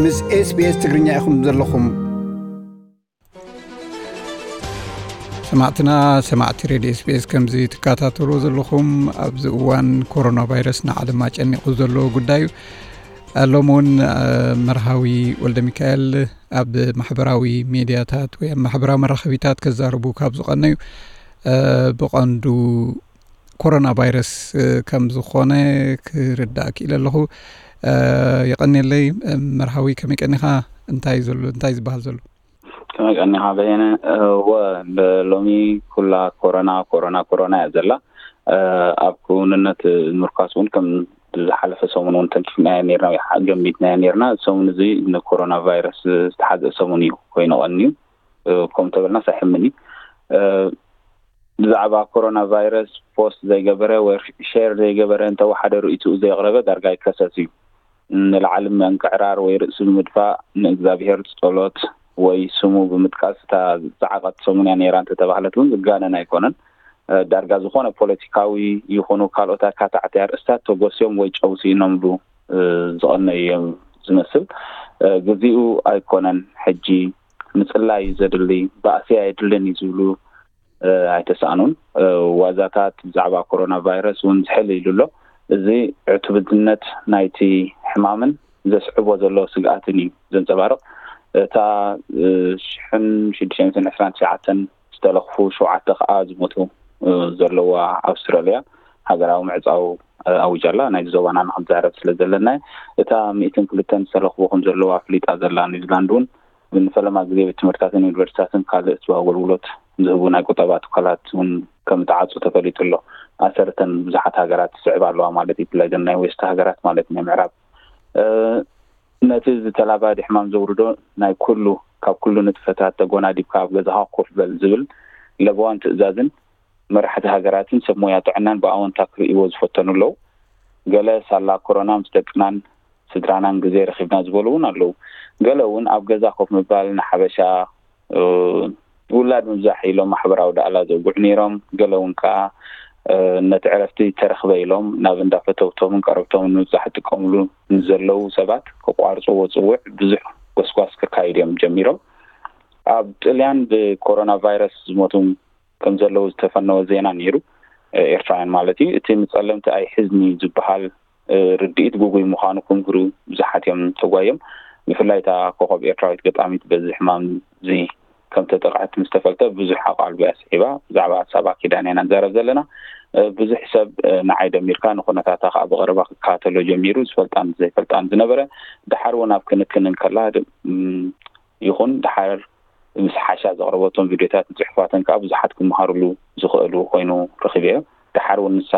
ምስ SBS ትግርኛ ኢኹም ዘለኹም። ሰማዕትና፣ ሰማዕቲ ሬድዮ SBS፣ ከምዚ ትከታተልዎ ዘለኹም፣ ኣብዚ እዋን ኮሮና ቫይረስ ንዓለም ኣጨኒቑ ዘሎ ጉዳይ እዩ። ሎሚ እውን፣ እ፣ መርሃዊ ወልደ ሚካኤል ኣብ ማሕበራዊ ሚድያታት ወይ ኣብ ማሕበራዊ መራኸቢታት ከዛርቡ ካብ ዝቐነዩ፣ እ፣ ብቐንዱ ኮሮና ቫይረስ፣ እ፣ ከም ዝኾነ ክርዳእ ክኢለ ኣለኹ። እ፣ የቐንየለይ። እ፣ መርሃዊ፣ ከመይ ቀኒኻ? እንታይ ዘሎ፣ እንታይ ዝበሃል ዘሎ? ከመይ ቀኒኻ በየነ? እወ፣ ሎሚ ኩላ ኮሮና፣ ኮሮና፣ ኮሮና እያ ዘላ። እ፣ ኣብ ክውንነት ምርኳስ እውን ከም ዝሓለፈ ሰሙን እውን ተንኪፍናዮ ነይርና ወይ ሓ-፣ ገሚትናዮ ነይርና። እዚ ሰሙን እዚ ንኮሮና ቫይረስ ዝተሓዝአ ሰሙን እዩ ኮይኑ ቀንዩ። እ፣ ከምኡ ተበልናስ ኣይሕምን እዩ። እ፣ ብዛዕባ ኮሮና ቫይረስ ፖስት ዘይገበረ ወይ ሼር ዘይገበረ፣ እንተ ወሓደ ርእይትኡ ዘየቕረበ ዳርጋ ይከሰስ እዩ። ንላዕሊ ምንቅዕራር ወይ ርእሱ ብምድፋእ ንእግዚኣብሔር ጸሎት ወይ ስሙ ብምጥቃስ፣ እታ ዝጸዓቐት ሰሙን እያ ነይራ እንተተባህለት እውን ዝጋነን ኣይኮነን። እ፣ ዳርጋ ዝኾነ ፖለቲካዊ ይኹኑ ካልኦት ኣካታዕቲ ኣርእስታት ተጎስዮም ወይ ጨው ስኢኖምሉ፣ እ፣ ዝቐነዩ እዮም ዝመስል። እ፣ ግዚኡ ኣይኮነን ሕጂ። ምጽላይ እዩ ዘድሊ፣ ባእሲ ኣይድልን እዩ ዝብሉ፣ እ፣ ኣይተሳእኑን። እ፣ ዋዛታት ብዛዕባ ኮሮና ቫይረስ እውን ዝሕል ኢሉ ኣሎ። እዚ ዕቱብነት ናይቲ ሕማምን ዘስዕቦ ዘሎ ስግኣትን እዩ ዘንጸባርቕ። እታ፣ እ፣ ሽሕን ሽዱሽተ ሚእትን ዕስራን ትሽዓተን ዝተለኽፉ፣ ሸውዓተ ከኣ ዝሞቱ፣ እ፣ ዘለዋ ኣውስትራልያ፣ ሃገራዊ ምዕጻው፣ እ፣ ኣዊጃ ኣላ። ናይዚ ዞባና ንኽንዛረብ ስለ ዘለና፣ እታ ሚእትን ክልተን ዝተለኽፉ ከም ዘለዋ ኣፍሊጣ ዘላ ኒውዚላንድ እውን፣ ንፈለማ ግዜ ቤት ትምህርትታትን ዩኒቨርሲቲታትን ካልእ ህዝባዊ ኣገልግሎት ዝህቡ ናይ ቁጠባ ትካላት እውን ከም ተዓጹ ተፈሊጡ ኣሎ። ኣሰርተን ብዙሓት ሃገራት ትስዕብ ኣለዋ ማለት እዩ፣ ብፍላይ እዘን ናይ ዌስት ሃገራት ማለት ናይ ምዕራብ። እ፣ ነቲ ዝተላባዲ ሕማም ዘውርዶ ናይ ኩሉ፣ ካብ ኩሉ ንጥፈታት ተጎናዲብካ ኣብ ገዛኻ ኮፍ በል ዝብል ለበዋን ትእዛዝን መራሕቲ ሃገራትን ሰብ ሞያ ጥዕናን ብኣወንታ ክርእይዎ ዝፈተኑ ኣለዉ። ገለ ሳላ ኮሮና ምስ ደቅናን ስድራናን ግዜ ረኺብና ዝበሉ እውን ኣለዉ። ገለ እውን ኣብ ገዛ ኮፍ ምባል ንሓበሻ፣ እ፣ ውላድ ምብዛሕ ኢሎም ማሕበራዊ ዳእላ ዘውግዑ ነይሮም። ገለ እውን ከኣ፣ እ፣ ነቲ ዕረፍቲ ተረኽበ ኢሎም ናብ እንዳ ፈተውቶምን ቀረብቶምን ንምብጻሕ ይጥቀምሉ ንዘለዉ ሰባት ከቋርጽዎ ጽውዕ ብዙሕ ጎስጓስ ከካይዱ እዮም ጀሚሮም። ኣብ ጥልያን ብኮሮና ቫይረስ ዝሞቱ ከም ዘለዉ ዝተፈነወ ዜና ነይሩ፣ እ፣ ኤርትራውያን ማለት እዩ። እቲ ንጸለምቲ ኣይሕዝኒ ዝበሃል፣ እ፣ ርድኢት ግጉይ ምዃኑ ክምህሩ ብዙሓት እዮም ተጓዮም። ብፍላይ እታ ኮኸብ ኤርትራዊት ገጣሚት በዚ ሕማም እዚ ከም ተጠቕዐት ምስ ተፈልጠ ብዙሕ ኣቓልቦ እያ ስዒባ። ብዛዕባ ሳባ ኪዳነ ኢና ንዛረብ ዘለና። እ፣ ብዙሕ ሰብ፣ እ፣ ንዓይ ደሚርካ ንኹነታታ ከኣ ብቐረባ ክከታተሎ ጀሚሩ፣ ዝፈልጣን ዘይፈልጣን ዝነበረ። ደሓር እውን ኣብ ክንክን እንከላ ድ-፣ እም፣ ይኹን ደሓር ምስ ሓሻ ዘቕረበቶም ቪድዮታትን ጽሑፋትን ከኣ ብዙሓት ክመሃርሉ ዝኽእሉ ኮይኑ ረኺበዮ። ደሓር እውን ንሳ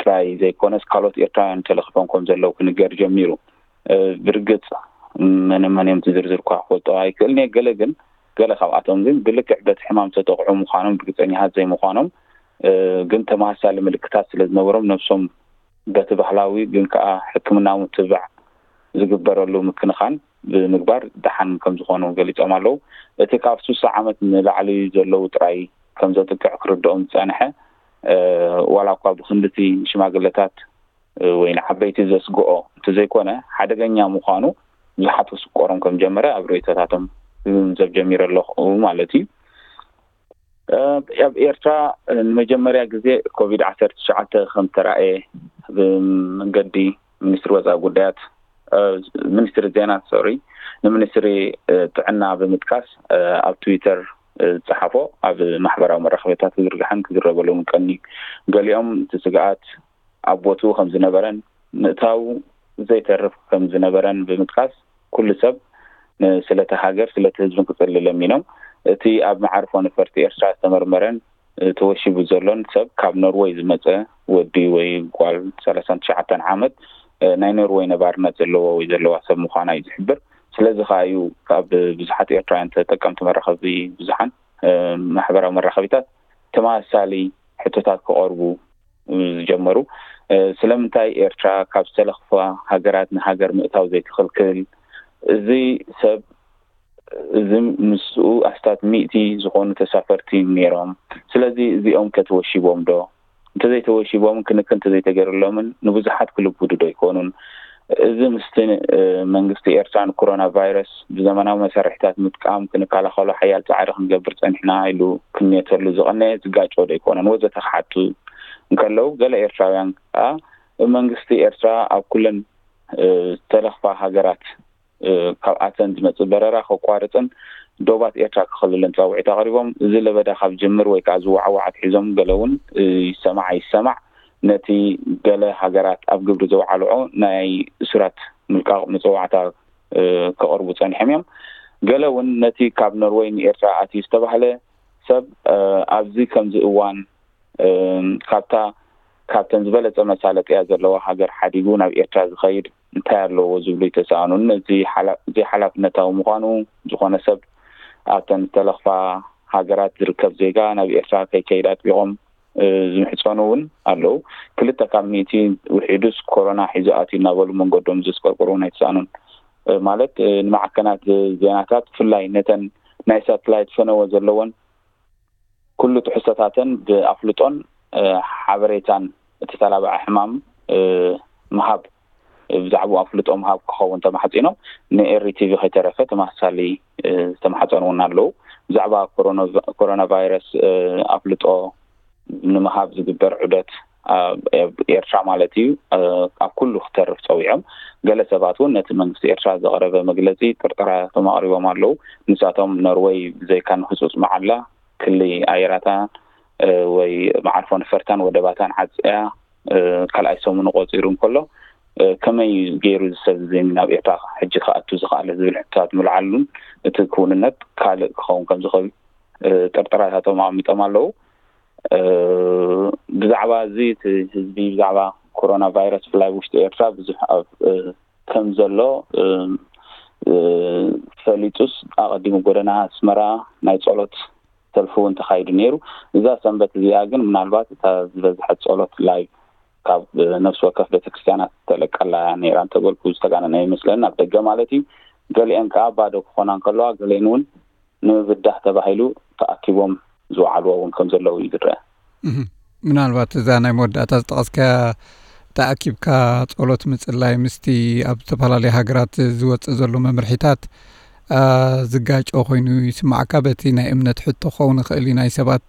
ጥራይ ዘይኮነስ ካልኦት ኤርትራውያን ተለኺፎም ከም ዘለዉ ክንገር ጀሚሩ። እ፣ ብርግጽ መነ መን እዮም እቲ ዝርዝር እኳ ክፈልጦ ኣይክእልን እየ። ገለ ግን፣ ገለ ካብኣቶም ግን ብልክዕ በቲ ሕማም ዝተጠቕዑ ምዃኖም ርግጸኛታት ዘይምዃኖም፣ እ፣ ግን ተመሳሳሊ ምልክታት ስለ ዝነበሮም ነብሶም በቲ ባህላዊ ግን ከኣ ሕክምናዊ ምትብባዕ ዝግበረሉ ምክንኻን ብምግባር ደሓን ከም ዝኾኑ ገሊጾም ኣለዉ። እቲ ካብ ስሳ ዓመት ንላዕሊ ዘለዉ ጥራይ ከም ዘጥቅዕ ክርድኦም ዝጸንሐ፣ እ፣ ዋላ እኳ ብክንዲ እቲ ንሽማግለታት፣ እ፣ ወይ ንዓበይቲ ዘስግኦ እንተዘይኮነ፣ ሓደገኛ ምዃኑ ብዙሓት ክስቆሮም ከም ጀመረ ኣብ ርእይቶታቶም ክግንዘብ ጀሚረ ኣለኹ ማለት እዩ። እ፣ ኣብ ኤርትራ፣ እ፣ ንመጀመርያ ግዜ ኮቪድ ዓሰርተ ትሽዓተ ከም ተራእየ ብመንገዲ ሚኒስትሪ ወጻኢ ጉዳያት፣ እ፣ ሚኒስትሪ ዜና፣ ሶሪ፣ ንሚኒስትሪ፣ እ፣ ጥዕና ብምጥቃስ፣ እ፣ ኣብ ትዊተር፣ እ፣ ዝጸሓፎ ኣብ ማሕበራዊ መራኸቢታት ክዝርግሐን ክዝረበሉን ቀንዩ። ገሊኦም እቲ ስግኣት ኣብ ቦትኡ ከም ዝነበረን ምእታው ዘይተርፍ ከም ዝነበረን ብምጥቃስ፣ ኩሉ ሰብ ን-፣ ስለቲ ሃገር፣ ስለቲ ህዝብን ክጽሊ ለሚኖም። እቲ ኣብ መዓርፎ ነፈርቲ ኤርትራ ዝተመርመረን፣ እ፣ ተወሺቡ ዘሎን ሰብ ካብ ኖርወይ ዝመጸ ወዲ ወይ ጓል ሰላሳን ትሽዓተን ዓመት፣ እ፣ ናይ ኖርወይ ነባርነት ዘለዎ ወይ ዘለዋ ሰብ ምዃና እዩ ዝሕብር። ስለዚ ከኣ እዩ ካብ ብዙሓት ኤርትራውያን ተጠቀምቲ መራኸቢ ብዙሓን፣ እ፣ ማሕበራዊ መራኸቢታት ተመሳሳሊ ሕቶታት ክቐርቡ ዝጀመሩ። እ፣ ስለምንታይ ኤርትራ ካብ ዝተለኽፋ ሃገራት ንሃገር ምእታው ዘይትኽልክል? እዚ ሰብ፣ እዚ ምስኡ ኣስታት ሚእቲ ዝኾኑ ተሳፈርቲ ነይሮም። ስለዚ እዚኦም ከ ተወሺቦም ዶ? እንተዘይተወሺቦምን ክንክን እንተዘይተገይርሎምን ንብዙሓት ክልብዱ ዶ ኣይኮኑን? እዚ ምስቲ መንግስቲ ኤርትራ ንኮሮና ቫይረስ ብዘመናዊ መሳርሒታት ምጥቃም ክንከላኸሎ ሓያል ፃዕሪ ክንገብር ፀኒሕና ኢሉ ክምየተሉ ዝቐነየ ዝጋጨ ዶ ኣይኮነን ወዘተ ክሓቱ እንከለዉ፣ ገለ ኤርትራውያን ከዓ መንግስቲ ኤርትራ ኣብ ኩለን ዝተለኽፋ ሃገራት ካብኣተን ዝመፅእ በረራ ከቋርፅን ዶባት ኤርትራ ክኸልልን ፃውዒት ኣቕሪቦም። እዚ ለበዳ ካብ ጅምር ወይ ከዓ ዝወዓዋዕ ኣትሒዞም ገለ እውን ይሰማዕ ኣይሰማዕ ነቲ ገለ ሃገራት ኣብ ግብሪ ዘውዓልዖ ናይ እሱራት ምልቃቕ መፀዋዕታ ከቕርቡ ፀኒሖም እዮም። ገለ እውን ነቲ ካብ ኖርወይ ንኤርትራ ኣትዩ ዝተባህለ ሰብ ኣብዚ ከምዚ እዋን ካብታ ካብተን ዝበለፀ መሳለጥያ ዘለዋ ሃገር ሓዲጉ ናብ ኤርትራ ዝኸይድ እንታይ ኣለዎ ዝብሉ ይተሳእኑን ነዚ ዘይሓላፍነታዊ ምዃኑ ዝኾነ ሰብ ኣብተን ዝተለኽፋ ሃገራት ዝርከብ ዜጋ ናብ ኤርትራ ከይከይድ ኣጥቢቖም ዝምሕፀኑ እውን ኣለዉ። ክልተ ካብ ሚእቲ ውሒዱስ ኮሮና ሒዙ ኣትዩ እናበሉ መንገዶም ዘስቀርቅሩ ናይ ተሳእኑን ማለት ንማዕከናት ዜናታት ብፍላይ ነተን ናይ ሳትላይት ፈነወ ዘለዎን ኩሉ ትሕዝቶታተን ብኣፍልጦን ሓበሬታን እቲ ተላባዒ ሕማም ምሃብ ብዛዕባኡ ኣፍልጦ ምሃብ ክኸውን ተማሕፂኖም ንኤሪ ቲቪ ከይተረፈ ተመሳሳሊ ዝተማሕፀኑ እውን ኣለዉ። ብዛዕባ ኮሮና ቫይረስ ኣፍልጦ ንምሃብ ዝግበር ዑደት ኣብ ኤርትራ ማለት እዩ ኣብ ኩሉ ክተርፍ ፀዊዖም። ገለ ሰባት እውን ነቲ መንግስቲ ኤርትራ ዘቕረበ መግለፂ ጥርጠራቶም ኣቕሪቦም ኣለዉ። ንሳቶም ኖርወይ ብዘይካ ንህፁፅ መዓላ ክሊ ኣየራታ ወይ መዓርፎ ነፈርታን ወደባታን ዓፅያ ካልኣይ ሰሙኑ ቆፂሩ እንከሎ ከመይ ገይሩ እዚ ሰብ እዚ ናብ ኤርትራ ሕጂ ክኣቱ ዝኽኣለ ዝብል ሕቶታት ምልዓሉን እቲ ክውንነት ካልእ ክኸውን ከም ዝኽእል ጥርጥራታቶም ኣቐሚጦም ኣለዉ። ብዛዕባ እዚ እቲ ህዝቢ ብዛዕባ ኮሮና ቫይረስ ብፍላይ ውሽጢ ኤርትራ ብዙሕ ኣብ ከም ዘሎ ፈሊጡስ ኣቐዲሙ ጎደና ኣስመራ ናይ ጸሎት ሰልፊ እውን ተኻይዱ ነይሩ። እዛ ሰንበት እዚኣ ግን ምናልባት እታ ዝበዝሐት ጸሎት ላይቭ ካብ ነፍሲ ወከፍ ቤተክርስትያናት ተለቀላ ነይራ እንተበልኩ ዝተጋነነ ይመስለኒ፣ ኣብ ደገ ማለት እዩ። ገሊአን ከዓ ባዶ ክኾና እንከለዋ ገሊአን እውን ንምብዳህ ተባሂሉ ተኣኪቦም ዝወዓልዎ እውን ከም ዘለዉ እዩ ዝረአ። ምናልባት እዛ ናይ መወዳእታ ዝጠቐስካያ ተኣኪብካ ጸሎት ምጽላይ ምስቲ ኣብ ዝተፈላለዩ ሃገራት ዝወጽእ ዘሎ መምርሒታት ዝጋጮ ኮይኑ ይስማዕካ። በቲ ናይ እምነት ሕቶ ክኸውን ይኽእል እዩ። ናይ ሰባት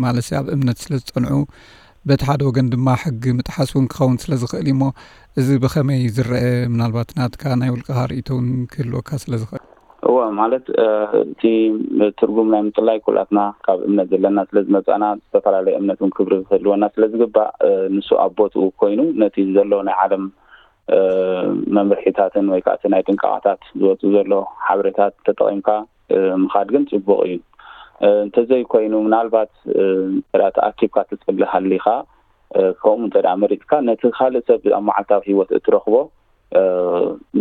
ማለት ኣብ እምነት ስለ ዝጸንዑ በቲ ሓደ ወገን ድማ ሕጊ ምጥሓስ እውን ክኸውን ስለ ዝኽእል እዩ። እሞ እዚ ብኸመይ ዝረአ? ምናልባት ናትካ ናይ ውልቅኻ ርእይቶ እውን ክህልወካ ስለ ዝኽእል። እወ፣ ማለት እቲ ትርጉም ናይ ምጽላይ ኩላትና ካብ እምነት ዘለና ስለ ዝመጻና ዝተፈላለየ እምነት እውን ክብሪ ክህልወና ስለ ዝግባእ ንሱ ኣብ ቦትኡ ኮይኑ ነቲ ዘሎ ናይ ዓለም መምርሒታትን ወይ ከዓ እቲ ናይ ጥንቃቐታት ዝወፁ ዘሎ ሓበሬታት ተጠቒምካ ምኻድ ግን ፅቡቕ እዩ። እንተዘይኮይኑ ምናልባት ተኣኪብካ ትፅሊ ሃሊኻ ከምኡ እንተ መሪፅካ ነቲ ካልእ ሰብ ኣብ መዓልታዊ ህይወት እትረኽቦ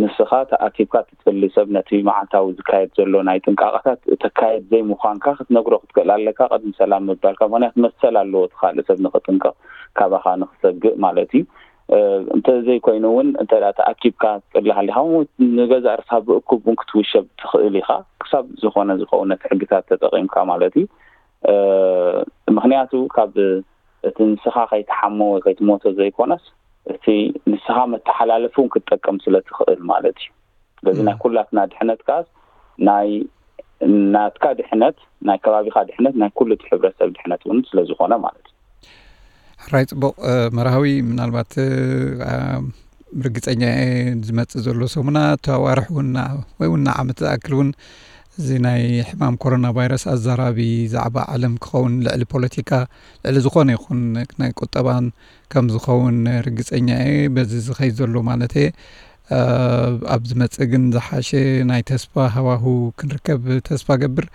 ንስኻ ተኣኪብካ ትፅሊ ሰብ ነቲ መዓልታዊ ዝካየድ ዘሎ ናይ ጥንቃቐታት ተካየድ ዘይምዃንካ ክትነግሮ ክትክእል ኣለካ ቅድሚ ሰላም ምባልካ። ምክንያቱ መሰል ኣለዎ እቲ ካልእ ሰብ ንክጥንቀቕ ካባኻ ንክሰግእ ማለት እዩ። እንተዘይኮይኑ እውን እንተ ተኣኪብካ ትፅሊ ሃሊኻ ንገዛእ ርእስኻ ብእኩብ እውን ክትውሸብ ትኽእል ኢኻ ክሳብ ዝኾነ ዝኸውን ነቲ ሕግታት ተጠቒምካ ማለት እዩ። ምክንያቱ ካብ እቲ ንስኻ ከይትሓሞ ወይ ከይትሞቶ ዘይኮነስ እቲ ንስኻ መተሓላለፊ እውን ክትጠቀም ስለ ትኽእል ማለት እዩ። ስለዚ ናይ ኩላትና ድሕነት ከዓስ ናይ ናትካ ድሕነት ናይ ከባቢኻ ድሕነት ናይ ኩሉ እቲ ሕብረተሰብ ድሕነት እውን ስለ ዝኾነ ማለት እዩ። ሕራይ ጽቡቕ መርሃዊ ምናልባት ርግጸኛ እየ ዝመጽእ ዘሎ ሰሙናት ኣዋርሕ እውን ወይ እውን ንዓመት ዝኣክል እውን እዚ ናይ ሕማም ኮሮና ቫይረስ ኣዛራቢ ዛዕባ ዓለም ክኸውን ልዕሊ ፖለቲካ ልዕሊ ዝኾነ ይኹን ናይ ቁጠባን ከም ዝኸውን ርግጸኛ እየ። በዚ ዝኸይድ ዘሎ ማለት እየ ኣብ ዝመጽእ ግን ዝሓሸ ናይ ተስፋ ሃዋሁ ክንርከብ ተስፋ ገብር።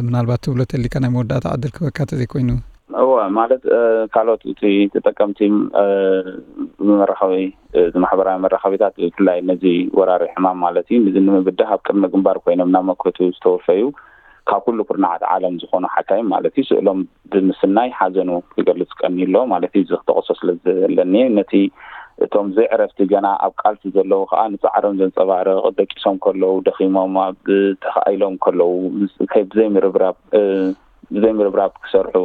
ምናልባት ትብሎ ተሊካ ናይ መወዳእታ ዕድል ክበካ ተዘይኮይኑ። እወ ማለት ካልኦት እቲ ተጠቀምቲ መራኸቢ ማሕበራዊ መራኸቢታት ብፍላይ ነዚ ወራሪ ሕማም ማለት እዩ ነዚ ንምብዳህ ኣብ ቅድሚ ግንባር ኮይኖም እናመከቱ ዝተወፈዩ ካብ ኩሉ ኩርናዓት ዓለም ዝኾኑ ሓካይም ማለት እዩ ስእሎም ብምስናይ ሓዘኑ ክገልጽ ቀኒሎ ማለት እዩ። ዝክተቆሶ ስለ ዘለኒ ነቲ እቶም ዘይዕረፍቲ ገና ኣብ ቃልሲ ዘለዉ ከዓ ንፃዕሮም ዘንፀባርቕ ደቂሶም ከለዉ ደኺሞም ኣብ ተኻኢሎም ከለዉ ብዘይምርብራብ ብዘይምርብራብ ክሰርሑ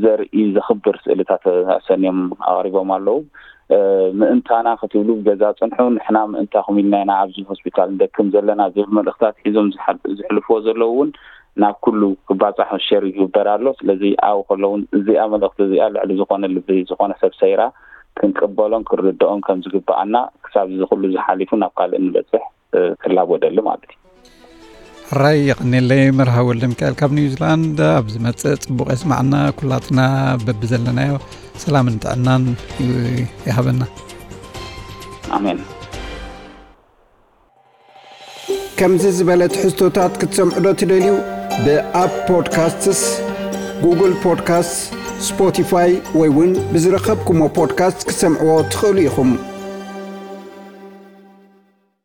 ዘርኢ ዘኽብር ስእልታት ኣሰንዮም ኣቕሪቦም ኣለዉ። ምእንታና ክትብሉ ገዛ ፅንሑ፣ ንሕና ምእንታኹም ኢልና ኢና ኣብዚ ሆስፒታል ንደክም ዘለና ዝብል መልእኽታት ሒዞም ዝሓል- ዝሕልፍዎ ዘለዉ እውን ናብ ኩሉ ክባፃሕ ሸር ይግበር ኣሎ። ስለዚ ኣብኡ ከለውን እዚኣ መልእኽቲ እዚኣ ልዕሊ ዝኾነ ልቢ ዝኾነ ሰብ ሰይራ ክንቅበሎም ክንርድኦም ከም ዝግባኣና ክሳብ እዚ ኩሉ ዝሓሊፉ ናብ ካልእ እንበፅሕ ክላቦ ደሊ ማለት እዩ። ሕራይ የቐኔለይ። መርሃ ወልደ ሚካኤል ካብ ኒውዚላንድ። ኣብ ዝመፅእ ፅቡቕ የስማዕና። ኩላትና በብዘለናዮ ሰላምን ጥዕናን ይሃበና። ኣሜን። ከምዚ ዝበለ ትሕዝቶታት ክትሰምዑ ዶ ትደልዩ? ብኣፕ ፖድካስትስ፣ ጉግል ፖድካስት፣ ስፖቲፋይ ወይ እውን ብዝረኸብኩሞ ፖድካስት ክትሰምዕዎ ትኽእሉ ኢኹም።